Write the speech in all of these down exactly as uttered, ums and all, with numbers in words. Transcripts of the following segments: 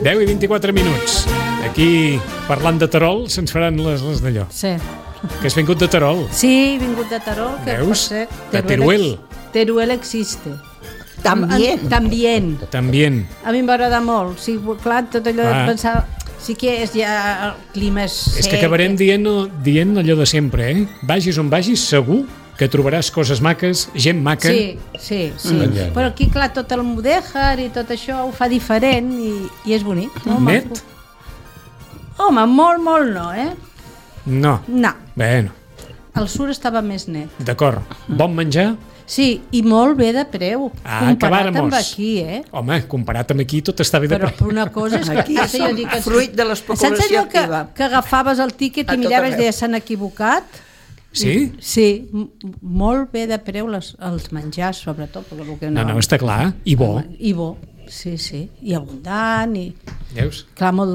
deu i vint-i-quatre minuts. Aquí, parlant de Terol, se'ns faran les, les d'allò. Sí. Que has vingut de Terol. Sí, he vingut de Terol. Que Veus? Ser, De Teruel. Teruel existe. También. También. También. A mi m'agrada molt. Sí, clar, tot allò Ah. de pensar... Sí que és ja... El clima és sec. És que acabarem dient, dient allò de sempre, eh? Vagis on vagis, segur que trobaràs coses maques, gent maca. Sí, sí, sí. Mm. Però aquí, clar, tot el mudèjar i tot això ho fa diferent i, i és bonic. Molt Net? maco. Home, molt, molt no, eh? No. No. Bueno, El sur estava més net. d'acord. Bon menjar? Sí, i molt bé de preu. Ah, comparat acabàrem-nos. amb aquí, eh? Home, comparat amb aquí tot està bé de Però preu. una cosa és que... Aquí ara jo som dic que- fruit de l'especulació Saps allò que, activa. que agafaves el tíquet A i tot miraves i arreu. deies s'han equivocat? Sí? Sí, m- molt bé de preu les, els menjars, sobretot. Perquè el que No, no, està clar. I bo. I bo, sí, sí. I abundant, i... Veus? Clar, molt...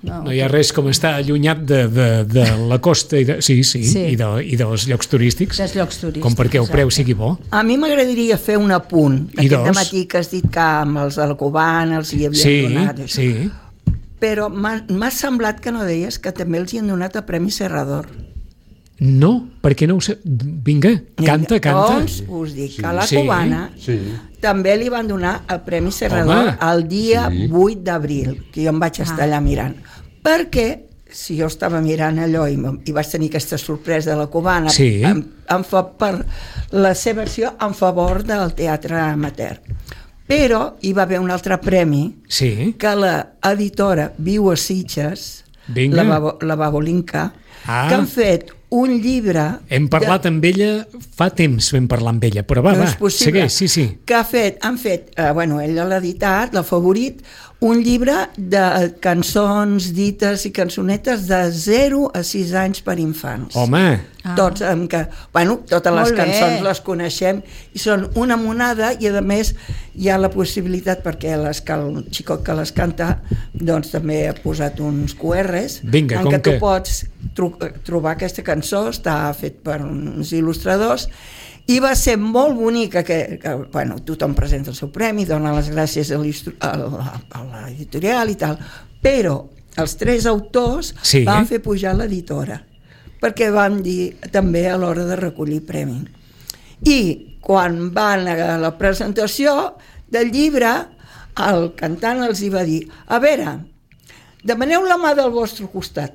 No, No hi ha res com estar allunyat de, de, de la costa i de, sí, sí, Sí. I, de, i dels llocs turístics, dels llocs turístics. com perquè el preu exacte. sigui bo. A mi m'agradaria fer un apunt. I Aquest dos? dematí que has dit que amb els Alcoban els hi havien Sí, donat. Això. sí. Però m'ha m'ha semblat que no deies que també els hi han donat el Premi Serrador. No, perquè no ho sé. Vinga, canta, canta. Doncs us dic que a la Sí. Cubana Sí. també li van donar el Premi Serrador Home. el dia Sí. vuit d'abril, que jo em vaig estar allà mirant. Perquè si jo estava mirant allò i, m- i vaig tenir aquesta sorpresa de la Cubana Sí. en, en fa, per la seva acció en favor del teatre amateur. Però hi va haver un altre premi Sí. que l'editora Viu a Sitges, Vinga. la, Babo, la Babolinka, Ah. que han fet un llibre... Hem parlat amb ella, fa temps vam parlar amb ella, però va, No va, és possible. segueix, sí, sí. Que ha fet, han fet, eh, bueno, ella l'ha editat, l'ha favorit, un llibre de cançons dites i cançonetes de zero a sis anys per infants. Home, Ah. Tots, amb que, bueno, totes les Molt bé. cançons les coneixem i són una monada i a més hi ha la possibilitat perquè les, que el xicot que les canta doncs també ha posat uns Q Rs Vinga, en com què tu que- pots tro trobar aquesta cançó, està fet per uns il·lustradors i va ser molt bonica que, que bueno, tothom presenta el seu premi, dona les gràcies a l'istru- a la- a l'editorial i tal, però els tres autors Sí. van fer pujar l'editora perquè van dir també a l'hora de recollir premi. I quan van a la presentació del llibre, el cantant els hi va dir: a veure, demaneu la mà del vostre costat,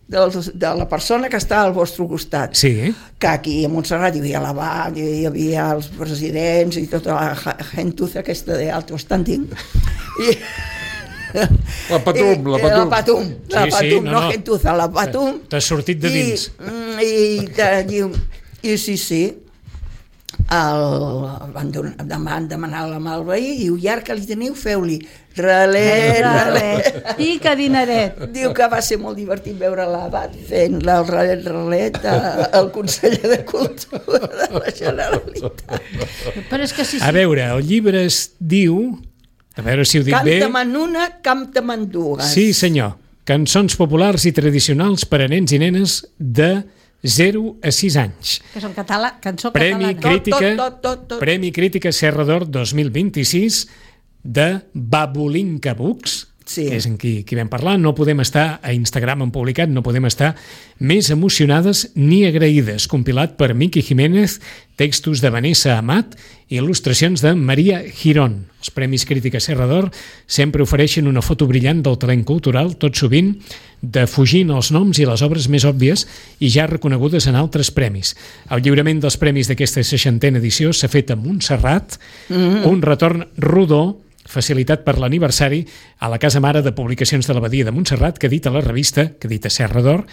dels, de la persona que està al vostre costat. sí. Que aquí a Montserrat hi havia l'abat, hi havia els presidents i tota la ja- gentuza aquesta de alto standing. I, La Patum, I- la La Patum. Patum, la Sí, sí, Patum, no, no, no. gentuza, la Patum. T'has sortit de dins. I, i, te diu, i sí, sí, el, van, donar, van demanar la mà al veí i diu, i ara que li teniu, feu-li relet, relet. Pica dineret. Diu que va ser molt divertit veure l'abat fent el relet, relet a- al conseller de Cultura de la Generalitat. Però és que sí, sí. A veure, el llibre es diu, a veure si ho dic bé. Canta manuna, canta mandugues. Sí, senyor. Cançons populars i tradicionals per a nens i nenes de zero a sis anys. Que són català, cançó Premi catalana. Crítica, tot, tot, tot. Premi Crítica Serra d'Or dos mil vint-i-sis de Babolinka Books, Sí. que és en qui, qui vam parlar. No podem estar a Instagram en publicat, no podem estar més emocionades ni agraïdes. Compilat per Miki Jiménez, textos de Vanessa Amat i il·lustracions de Maria Girón. Els Premis Crítica Serra d'Or sempre ofereixen una foto brillant del talent cultural, tot sovint defugint els noms i les obres més òbvies i ja reconegudes en altres premis. El lliurament dels premis d'aquesta seixantena edició s'ha fet a Montserrat, mm-hmm. un retorn rodó facilitat per l'aniversari a la Casa Mare de Publicacions de l'Abadia de Montserrat, que edita la revista, que edita Serra d'Or,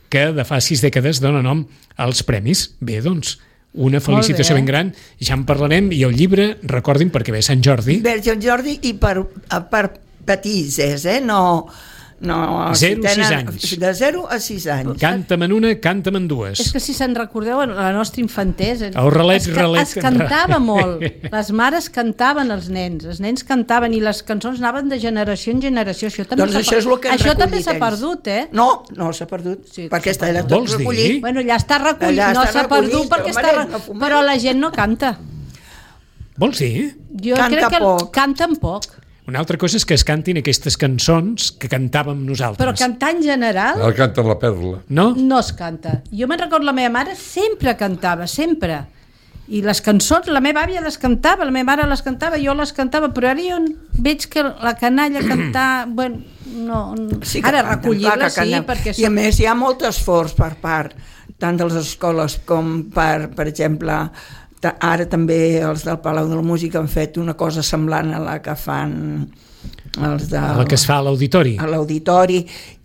que de fa sis dècades dona nom als premis. Bé, doncs, una felicitació ben gran, ja en parlarem, i el llibre, recordin, perquè ve Sant Jordi. Per Sant Jordi i per, per petises, eh? No... No, Zero a si sis tenen- anys. De zero a sis anys. Canta'm en una, canta'm en dues. És que si se'n recordeu, la nostra infantesa... El relet, es, relet, es cantava molt. Les mares cantaven els nens, els nens cantaven i les cançons anaven de generació en generació. Això també Doncs s'ha això és el que han això també recollit s'ha ells. perdut, eh? No, no s'ha perdut, Sí, perquè s'ha està allà Vols tot dir? recollit. Bueno, ja està recollit, Allà no està s'ha perdut recollit, perquè home, està... no Re... fumem. Però la gent no canta. Vols dir? Jo Canta crec que poc. canten poc. Una altra cosa és que es cantin aquestes cançons que cantàvem nosaltres. Però cantar en general El canta la perla. No? no es canta. Jo me'n recordo, la meva mare sempre cantava, sempre. I les cançons, la meva àvia les cantava, la meva mare les cantava, jo les cantava, però ara jo veig que la canalla cantar... Bueno, no, Sí que ara canten, recollir-la clar que sí, canten. perquè... I a més hi ha molt esforç per part tant de les escoles com per, per exemple, ta- ara també els del Palau de la Música han fet una cosa semblant a la que fan els de... La que es fa a l'auditori. a l'auditori,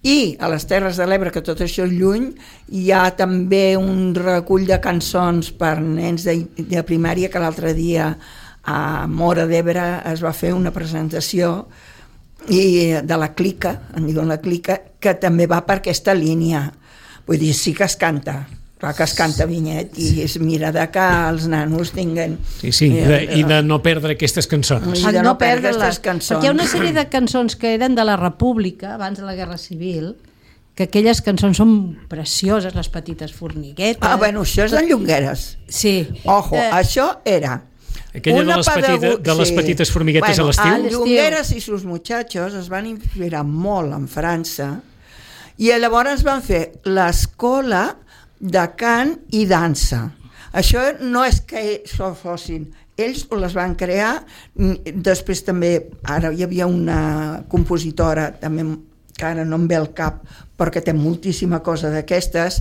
i a les Terres de l'Ebre, que tot això és lluny, hi ha també un recull de cançons per nens de, de primària, que l'altre dia a Móra d'Ebre es va fer una presentació i de la Clica, en diuen la Clica, que també va per aquesta línia. Vull dir, sí que es canta, clar que es canta Vinyet, i es mira de que els nanos tinguen... Sí, sí, i de, i de no perdre aquestes cançons. I de no perdre perdre-les. aquestes cançons. Perquè hi ha una sèrie de cançons que eren de la República, abans de la Guerra Civil, que aquelles cançons són precioses, les petites formiguetes... Ah, bueno, això és en Llongueres. Sí. Ojo, Eh, això era... Aquella de una les, petita, pedagog- de les sí. petites formiguetes Bueno, a l'estiu? l'estiu. Llongueres i sus muchachos es van inspirar molt en França i llavors van fer l'escola de cant i dansa. Això no és que ells fossin, ells les van crear, després també, ara hi havia una compositora també que ara no em ve al cap perquè té moltíssima cosa d'aquestes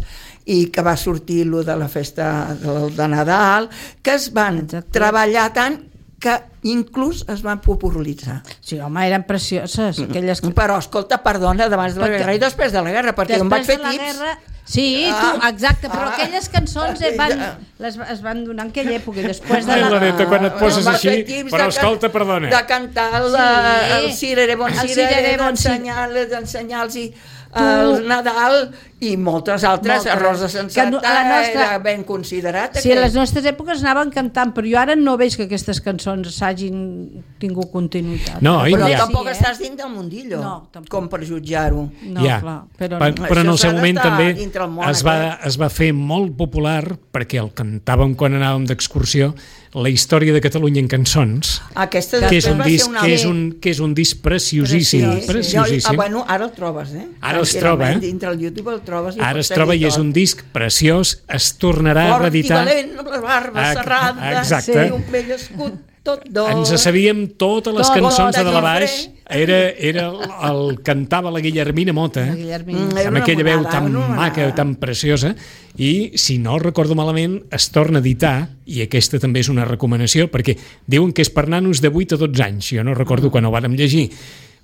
i que va sortir lo de la festa de, de Nadal, que es van Exacte. treballar tant que inclús es van popularitzar. Sí, home, eren precioses aquelles... Però, escolta, perdona, d'abans de la Perquè- guerra i després de la guerra, perquè jo em vaig fer Després de la tips. guerra... Sí, tu, Ah, exacte, però ah, aquelles cançons eh, van, ja. les, es van donar en aquella època i després de Ai, la... la neta, quan et poses Em va així, fer tips però de can- escolta, perdona. De cantar el, Sí. el cirere bon El cirere, cirere bon d'ensenyar-los d'ensenyar-los el Nadal i moltes altres. Moltes. Rosa Que Sensata no- a la nostra- era ben considerat. Sí, a aquell. les nostres èpoques anaven cantant, però jo ara no veig que aquestes cançons s'hagin tingut continuïtat. No, i Però ja. tampoc Sí, eh? estàs dins del mundillo, No, tampoc. com per jutjar-ho. No, ja. clar, però Per, no. però en Això el seu s'ha moment d'estar també dintre el món es va, aquest. es va fer molt popular perquè el cantàvem quan anàvem d'excursió, la història de Catalunya en cançons, Aquesta que és després un va ser disc, una que és un, que és un disc preciosíssim, Preciós, sí. preciosíssim. Jo, ah, bueno, ara el trobes, eh? Ara els troba, eh? Dintre el YouTube el trobes. i Ara pots es troba i seguir és tot. un disc preciós, es tornarà a Fort i reeditar. valent, amb la barba Ah, serrada, exacte. i un vell escut tot d'or. Ens sabíem totes les Tot, cançons de tot, dalt a baix. llibre. Era, era el, el cantava la Guillermina Mota, La Guillermina. Mm, era amb una aquella veu monada, tan una monada. maca, tan preciosa, i si no recordo malament es torna a editar, i aquesta també és una recomanació, perquè diuen que és per nanos de vuit a dotze anys, jo no recordo quan ho vàrem llegir,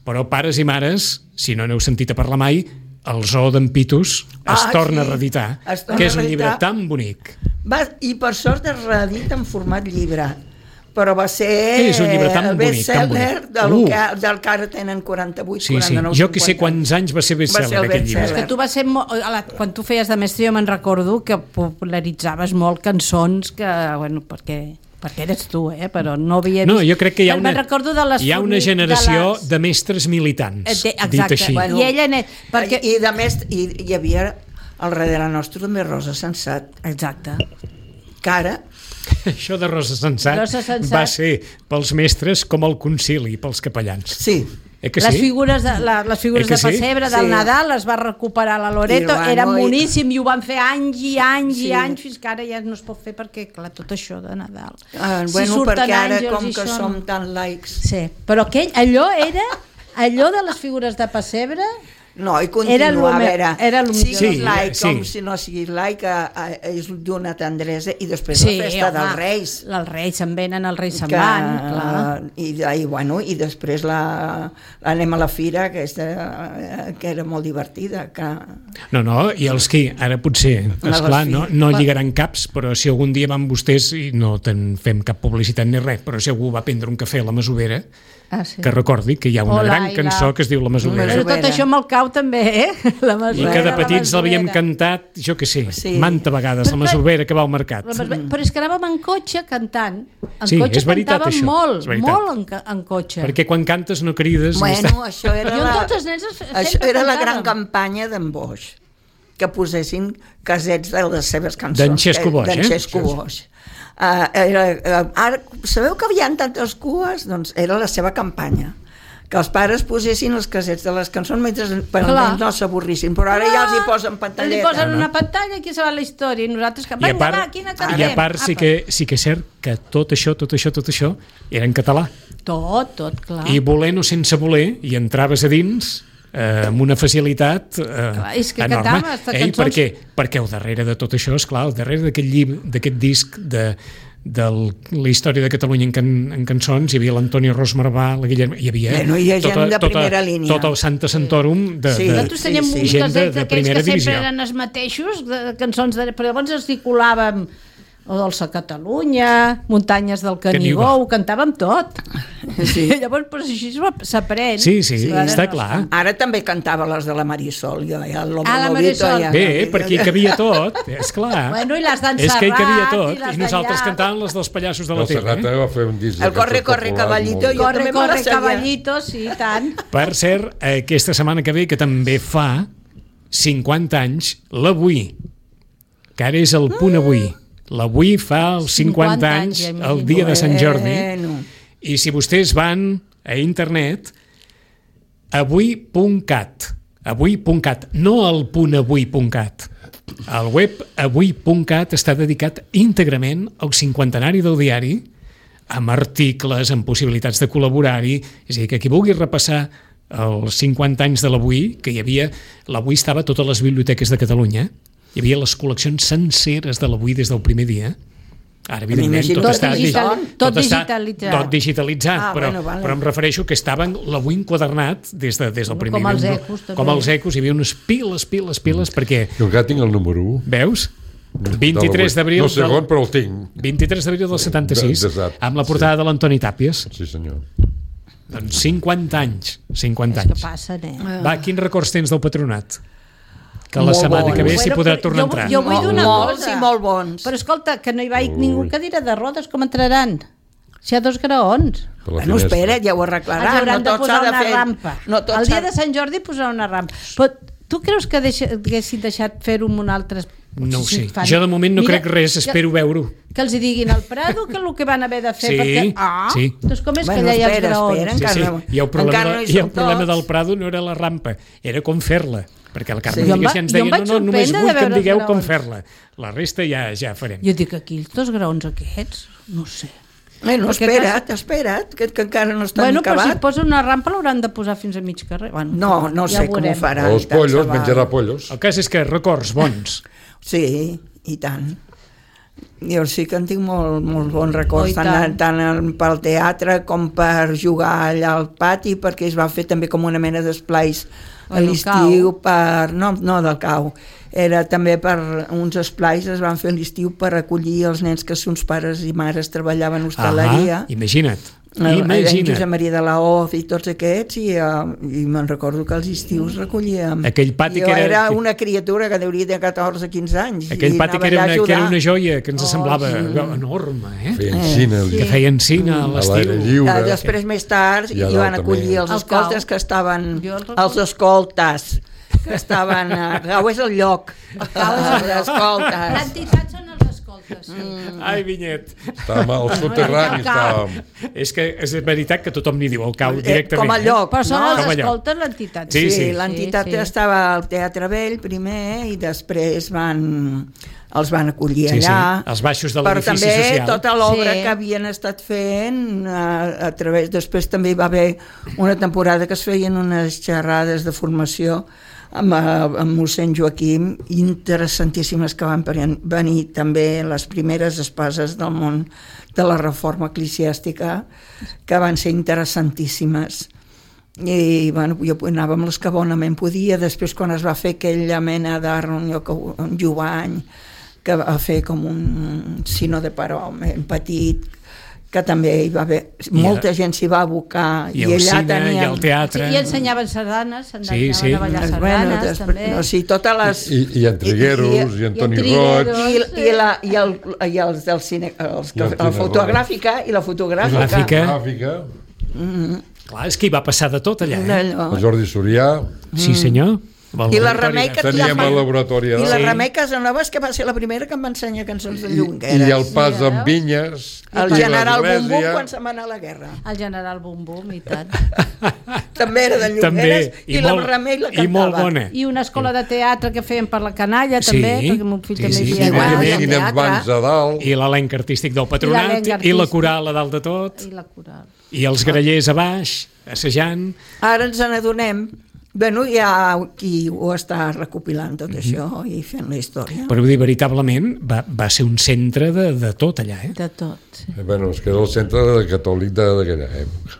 però pares i mares, si no n'heu sentit a parlar mai, el Zoo d'en Pitus es Ah, torna sí. a reeditar, Es torna que és a un llibre reeditar. tan bonic. Va, I per sort es reedita en format llibre, però va ser És un llibre tan el bonic, tan best-seller bonic. del, Uh. que, del que ara tenen quaranta-vuit, Sí, sí. quaranta-nou, Jo que sé cinquanta. quants anys va ser Va ser best-seller el aquest llibre. És que tu vas ser molt, a la, quan tu feies de mestre jo me'n recordo que popularitzaves molt cançons que, bueno, perquè, perquè eres tu, eh? Però no havia vist... No, jo crec que hi ha una, Me'n recordo de les hi ha una formi- generació de, les... de mestres militants, Eh, de- dit exacte. així. Bueno, I ella net, perquè... I, i de més, i, hi havia al darrere nostre també Rosa Sensat, Exacte. que ara Això de Rosa Sensat, Rosa Sensat. va ser pels mestres com el concili, pels capellans. sí, Eh que les sí? figures de, la, les figures Eh que de sí? pessebre del Sí. Nadal les va recuperar la Loreto, I bueno, era i- boníssim i ho van fer anys i anys Sí. i anys fins que ara ja no es pot fer perquè, clar, tot això de Nadal. ah, Si bueno, surten perquè ara àngels com i que això som no. tan laics. Sí, però aquell, allò era allò de les figures de pessebre. No, i Era lo continua, a me- veure, era lo siguis millor. Sí, laic sí. com si no siguis laic, eh, eh, és d'una tendresa, i després Sí, la festa home, dels Reis. Els Reis se'n venen, els Reis se'n que, van, clar. i, i, bueno, i després la, anem a la fira, aquesta, eh, que era molt divertida, que... No, no, i els qui, ara potser, esclar, no, no lligaran caps, però si algun dia van vostès, i no te'n fem cap publicitat ni res, però si algú va prendre un cafè a la Masovera, Ah, sí. que recordi que hi ha una Hola, gran i cançó la- que es diu La Masovera, Però tot això me'l cau també, eh? La i Masovera, que de la petits l'havíem Masovera. cantat, jo que sé, Sí. manta vegades, La Però- Masovera que va al mercat. La Masovera- Però és que anàvem en cotxe cantant. En Sí, cotxe és veritat, cantàvem això, molt, és veritat. molt en, ca- en cotxe. Perquè quan cantes no crides... i Bueno, està... això era, Jo amb la, tots els nens sempre això era la gran cantàvem. campanya d'en Boix, que posessin casets de les seves cançons. D'en Xesco Boix, D'en eh? Xesco Boix. Uh, era, uh, ara, sabeu que hi havia tantes cues? Doncs era la seva campanya. que els pares posessin els casets de les cançons mentre per almenys no s'avorrissin, però ara ja els hi posen pantalleta. Els hi posen una pantalla, aquí se va la història, i nosaltres que... I a part, quina i a part sí, que, sí que és cert que tot això, tot això, tot això era en català. Tot, tot, clar. I volent o sense voler, i entraves a dins eh, amb una facilitat eh, clar, és que enorme. cantaves Ei, cançons... perquè, perquè al darrere de tot això, esclar, al darrere d'aquest llibre, d'aquest disc de de la història de Catalunya en, can, en cançons, hi havia l'Antoni Ros Marvà, la Guillermo, hi havia bueno, hi ha gent tota, de primera tota, línia. Tot el Santa Santorum de, sí. de, Nosaltres teníem sí, sí. uns gent de, casets de d'aquells primera que sempre divisió. eren els mateixos, de, de cançons, de, però llavors els hi colàvem o Dolça Catalunya, Muntanyes del Canigó, Canigó. ho cantàvem tot. Sí. Llavors, però així s'aprèn. Sí, sí, sí, Ara està no clar. Ara també cantava les de la Marisol, jo, ja, el Ah, la Marisol. Ja, Bé, ja, perquè hi cabia tot, és clar. Bueno, i les d'en És que hi cabia Serrat, tot, i les i nosaltres d'allà. cantàvem les dels pallassos de la El Serrat tele. Eh? va fer un disc de El Corre, cançons corre, populars caballito, molt- jo Corre, també me la corre, sabia. caballito, sí, tant. Per cert, aquesta setmana que ve, que també fa cinquanta anys, l'Avui, que ara és el punt avui. L'Avui fa els cinquanta anys, anys, ja el dia de Sant Jordi. Bueno. I si vostès van a internet, avui punt cat, avui punt cat, no el punt avui punt cat. El web avui punt cat està dedicat íntegrament al cinquantenari del diari, amb articles, amb possibilitats de col·laborar-hi. És a dir, que qui vulgui repassar els cinquanta anys de l'Avui, que hi havia... L'Avui estava a totes les biblioteques de Catalunya, hi havia les col·leccions senceres de l'Avui des del primer dia. Ara, evidentment, M'imagino tot, que està, tot digi- digital- tot està digitalitzat. tot digitalitzat, Ah, però, bueno, vale. però em refereixo que estaven l'Avui enquadernat des, de, des del primer Com els dia. ecos, també. Com els ecos, hi havia unes piles, piles, piles, perquè, Jo encara tinc el número u. veus? vint-i-tres d'abril No segon, del, però el tinc. vint-i-tres d'abril del setanta-sis, Exacte, amb la portada sí. de l'Antoni Tàpies. Sí, senyor. Doncs cinquanta anys, cinquanta És que anys. passen, eh? Va, quins records tens del Patronat? Que la Molt setmana bons. que ve s'hi Bueno, podrà però tornar a jo- entrar. jo vull dir una Molts cosa. i molt bons. Però escolta, que no hi va ningú en cadira de rodes, com entraran? Si hi ha dos graons. Per la Bueno, finestra. espera, ja ho Ens arreglaran. hauran No de tot posar s'ha de una fer. rampa. No tot El s'ha dia de Sant Jordi posar una rampa. Però tu creus que deixa, haguessin deixat fer-ho amb un altre... No ho si sé. fan- Jo de moment no Mira, crec res, que- espero veure-ho. Que els hi diguin al Prado que el que van haver de fer, Sí, perquè... Ah, sí. doncs com és Bueno, que allà hi ha els espera, graons? espera, Sí, encara sí. no- I el problema, encara no hi de, i el som problema tots. del Prado no era la rampa, era com fer-la. Perquè el Carme Sí. sí. Jo em va- ens jo em deia, vaig no, no, només sorprendre vull de que em veure els digueu com graons. fer-la. La resta ja ja farem. Jo dic aquí, els dos graons aquests, no sé. Bueno, Perquè espera't, espera't, que, que encara no està Bueno, ni però si acabat. posa una rampa l'hauran de posar fins a mig carrer. Bueno, No, no ja sé com ho veurem. faran. Els i tant pollos, se val. menjarà pollos. El cas és que records bons. Sí, i tant. Jo sí que en tinc molt, molt bons records, Oh, i tant, tant. tant pel teatre com per jugar allà al pati, perquè es va fer també com una mena d'esplais a Al l'estiu per... No, no del cau. Era també per uns esplais, es van fer a l'estiu per acollir els nens que sons pares i mares treballaven a hostaleria. Ah, imagina't. El- el Imagina't. Josep Maria de la Hoz i tots aquests, i, uh, i me'n recordo que els estius recollíem. Aquell pati jo que era- era una criatura que deuria de catorze quinze anys. Aquell i pati anava que era, allà a una, que era ajudar. una joia, que ens Oh, semblava sí. enorme, eh? Feien cine, Sí. Que feien cine a a l'aire l'estiu. lliure. Ah, després, més tard, I a hi dalt van acollir també. els El escoltes cau. que estaven... Jo el recordo. Els escoltes que estaven... A... Cau és el lloc. Cau és el Els escoltes. L'entitat són els escoltes, sí. Mm. Ai, Vinyet. Estàvem als soterranis, estàvem. És que és veritat que tothom n'hi diu el cau directament. Com a eh? lloc. Però són no? Com els allò. escoltes l'entitat. Sí, Sí, sí. sí, l'entitat Sí, sí. estava al Teatre Vell primer i després van els van acollir Sí, sí, allà. els baixos de Però l'edifici també social. tota l'obra Sí. que havien estat fent a, a través... Després també hi va haver una temporada que es feien unes xerrades de formació amb, amb mossèn Joaquim, interessantíssimes, que van venir també les primeres espases del món de la reforma eclesiàstica, que van ser interessantíssimes. I bueno, jo anava amb les que bonament podia. Després, quan es va fer aquella mena de reunió que un Jovany, que va fer com un sino de paròmen petit, que també hi va haver... Molta gent s'hi va abocar. I I, el allà cine, tenien... i el teatre. Sí, i ensenyaven sardanes, Sí, sí. a ballar sardanes, Bueno, després, també. o sigui, totes les... I, i en Trigueros, i, i Antoni i en Trigueros. Roig. I, i, la, i, el, i els del cine, els, I el la cine fotogràfica i la fotogràfica. Gràfica. Gràfica. Clar, és que hi va passar de tot allà, eh? Allò. El Jordi Sorià. Sí, senyor. I la Remei que Teníem la- el laboratori. I la Sí. Remei Casanovas, que va ser la primera que em va ensenyar cançons de I, Llongueras. I el pas Sí, amb Vinyes. El i general Bum Bum l'església. quan se'n va anar a la guerra. El general Bum Bum, i tant. també era de Llongueres, També, i, i la molt- Remei la i cantava. molt bona. I una escola de teatre que feien per la canalla, Sí, també, perquè el meu fill sí, també sí, hi sí, havia. igual, I i quines teatre. bancs a dalt. I l'elenc artístic del patronat, l'elenc i, la artístic. coral a dalt de tot, I la coral. i els grallers a baix, assajant. Ara ens n'adonem. Bueno, hi ha qui ho està recopilant tot això i fent la història. Però vull dir, veritablement, va, va ser un centre de, de tot allà, eh? De tot, sí. Eh, Bueno, és que era el centre de catòlic de- d'aquella època.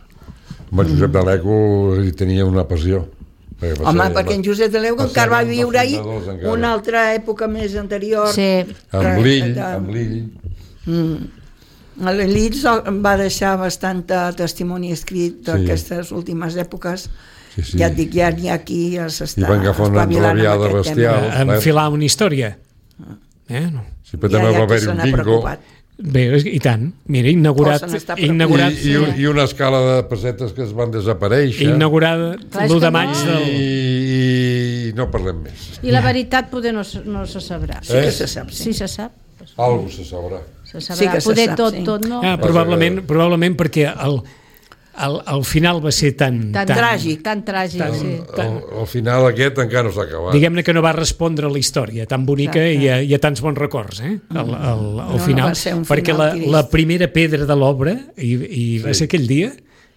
Home, Josep de l'Eco hi tenia una passió. Perquè va Home, ser- perquè en Josep de l'Eu va ser encara va un dels viure ahir fundadors, encara. una altra època més anterior. Sí. Amb l'Ill, De- amb l'Ill. L'Elit va deixar bastant testimoni escrit d'aquestes últimes èpoques. Sí, sí. Ja et dic, ja n'hi ha qui ja I s'està van agafar una espavilant amb enrabiada aquest bestial. tema. Clar. Enfilar una història. Eh? No. Sí, però Ja també hi ha va qui haver se un n'ha bingo. preocupat. Bé, i tant. Mira, inaugurat, Oh, se n'està preocupat. inaugurat, I, i, I una escala de pessetes que es van desaparèixer. inaugurada Clar, és l'u que de no- maig I, del... i no parlem més. I la veritat poder no, se- no se sabrà. Sí que se sap, sí. Sí se sap. Algo se sabrà. Se sabrà. Sí que se poder sap, tot, sí. tot no. Ah, probablement, probablement perquè el, el, el final va ser tan... Tan tràgic. Tan tràgic, Tan- sí. El, el final aquest encara no s'ha acabat. Diguem-ne que no va respondre a la història tan bonica i a, i a tants bons records, eh? El, el, el no final, va ser un perquè final la, trist. la primera pedra de l'obra, i, i va ser aquell dia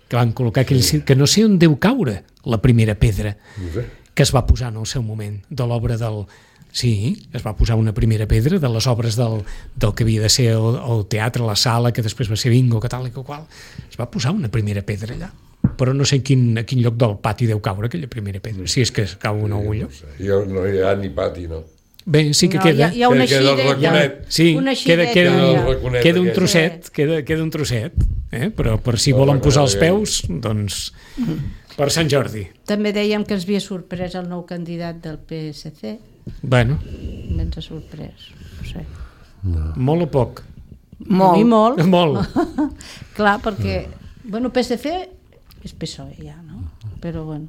que van col·locar aquell sí. que no sé on deu caure la primera pedra No sé. que es va posar en el seu moment de l'obra del... Sí, es va posar una primera pedra de les obres del, del que havia de ser el, el teatre, la sala, que després va ser bingo, que tal i que qual. Es va posar una primera pedra allà, però no sé en quin, a quin lloc del pati deu caure aquella primera pedra, si és que cau en algun lloc. Hi ha, no hi ha ni pati, no. Bé, sí que No, queda. hi ha, hi ha una Que queda el xireta. raconet. Sí, Una queda, xireta, queda, ja. un, Raconet queda un aquell. trosset, queda, queda un trosset, eh? però per si El volen posar els raconet peus, doncs per Sant Jordi. També dèiem que ens havia sorprès el nou candidat del P S C. Bueno, Ens ha sorprès. No sé. molt o poc? A mi Molt. molt. Molt. Clar, perquè... Bueno, P S C és P S O E ja, no? Però bueno,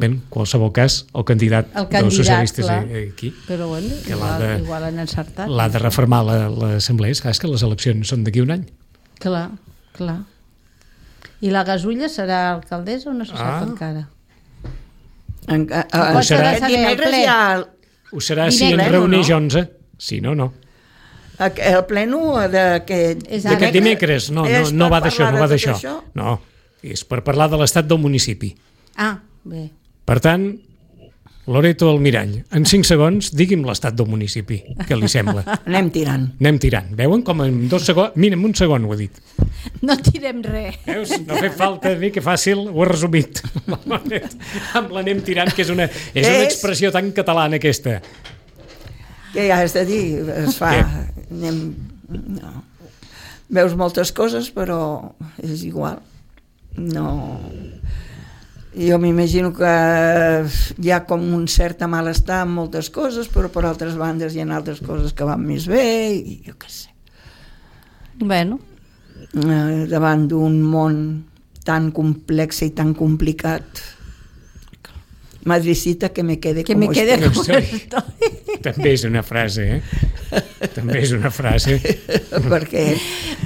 Bé, en qualsevol cas, el candidat, El dels candidat, socialistes clar. aquí però bueno, Que l'ha igual, de- igual han encertat. l'ha de reformar la- l'assemblea. És clar, és que les eleccions són d'aquí un any. Clar, clar. I la Gasulla serà alcaldessa o no se sap Ah. encara? En, a, a, Ho serà. aquest dimecres Ple. hi ha Ho serà si Dimecres, en reuneix no? onze. Si no, no. el, el pleno d'aquest És ara. D'aquest dimecres, no, no, És no per va d'això, parlar no va de tot d'això. això? No, és per parlar de l'estat del municipi. Ah, bé. Per tant, Loreto Almirall, en cinc segons, digui'm l'estat del municipi, què li sembla? Anem tirant. Anem tirant. Veuen com en dos segons... Mira, en un segon ho he dit. No tirem res. Veus? No ha fet falta dir que fàcil, ho he resumit. Amb l'anem tirant, que és una, és una És- expressió tan catalana aquesta. Què ja has de dir? Es fa... Anem... No. Veus moltes coses, però és igual. No... Jo m'imagino que hi ha com un cert malestar en moltes coses, però per altres bandes hi ha altres coses que van més bé, i jo què sé. Bueno, Eh, davant d'un món tan complex i tan complicat, Madridcita que me quede que como me quede estoy. como estoy. També és una frase, eh? També és una frase. Perquè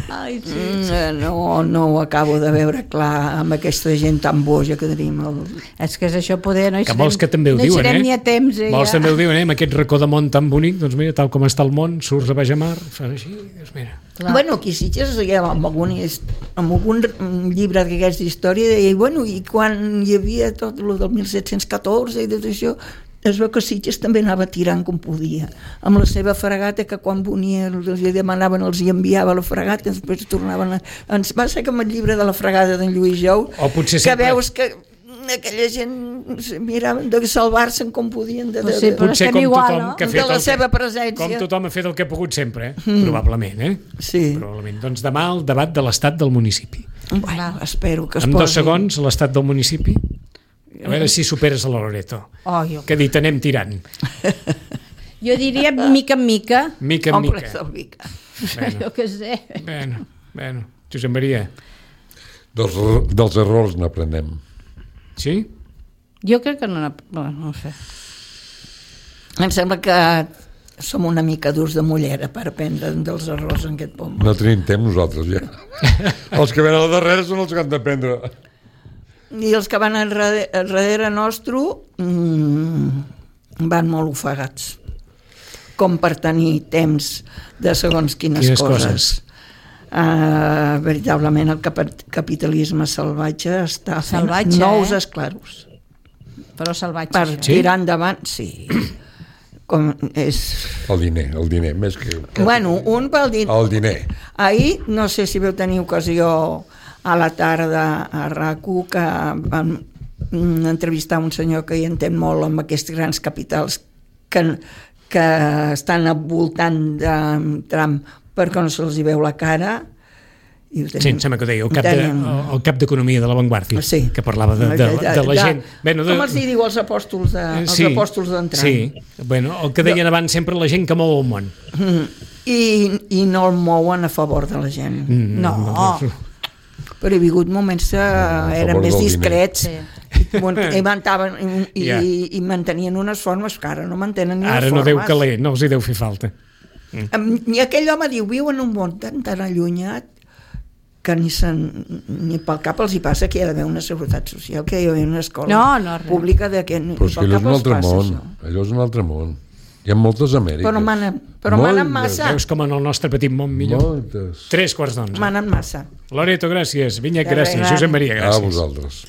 Ai, sí. mm, no, no ho acabo de veure clar amb aquesta gent tan boja que tenim. El... És que és això poder, no hi Que serem, vols que també ho no hi diuen, serem eh? ni a temps, eh? Vols ja. també ho diuen, eh? Amb aquest racó de món tan bonic, doncs mira, tal com està el món, surts a baix a mar, fan així, doncs mira. Clar. Bueno, aquí a Sitges, ja, amb, algun, amb algun llibre d'aquesta història, deia, bueno, i quan hi havia tot el del mil set-cents catorze i tot això, es veu que Sitges també anava tirant com podia, amb la seva fregata, que quan venia els hi demanaven, els hi enviava la fregata, després tornaven a... Ens va ser com el llibre de la fregada d'en Lluís Jou, O potser que sempre- veus que aquella gent miraven de salvar-se'n com podien de, de, Pues sí, de, però Potser estem com igual, tothom no? que ha de fet la el seva que, presència. com tothom ha fet el que ha pogut sempre, eh? Probablement, eh? Sí. Probablement. Doncs demà el debat de l'estat del municipi. Bueno, espero que es En posi... dos segons, l'estat del municipi. A veure si superes a la Loreto. Oh, jo. Que ha dit, anem tirant. jo diria mica en mica. Mica en Omple mica. el mica. Bueno, Jo què sé. bueno, bueno. Josep Maria. Dels, dels errors n'aprenem. Sí? Jo crec que no... Bueno, no ho sé. Em sembla que som una mica durs de mullera per aprendre dels errors en aquest poble. No tenim temps nosaltres ja. Els que venen al darrere són els que han d'aprendre. I els que van enrere, enrere nostre mmm, van molt ofegats, com per tenir temps de segons quines, quines coses. coses. Uh, veritablement el cap capitalisme salvatge està fent Salvatge, nous eh? esclaros. Però salvatge. Per això. Sí? tirar endavant, sí. Com és... El diner, el diner, més que... Bueno, un pel diner. El diner. Ahir, no sé si veu tenir ocasió a la tarda a RAC1 que vam mm, entrevistar un senyor que hi entén molt amb aquests grans capitals que, que estan envoltant de Trump perquè no se'ls hi veu la cara. I Sí, em sembla que ho deia, el cap, de, tenim- el cap d'economia de l'avantguàrdia, Sí. que parlava de, de, de, de la gent. Bueno, de, Com els hi diu els apòstols de, els sí, apòstols d'en Trump. sí, bueno, el que deien abans sempre la gent que mou el món. Mm. I, I no el mouen a favor de la gent. Mm, No. Però hi ha hagut moments que a eren favor més del discrets. Sí. I, mantaven, i, Ja. i, i mantenien unes formes que ara no mantenen ni Ara les no formes. deu caler, no els hi deu fer falta. Em- I aquell home diu, viu en un món tan, tan allunyat que ni, sen, ni pel cap els hi passa que hi ha d'haver una seguretat social, que hi ha d'haver una escola No, no, res. pública de que ni Però és que pel allò és cap un els altre passa món. això. Allò és un altre món. Hi ha moltes Amèriques. Però manen, però Moltes. manen massa. Veus com en el nostre petit món millor? Moltes. Tres quarts d'onze. Manen massa. Loreto, gràcies. Vinyet, De res, gràcies. Dani. Josep Maria, A gràcies. vosaltres.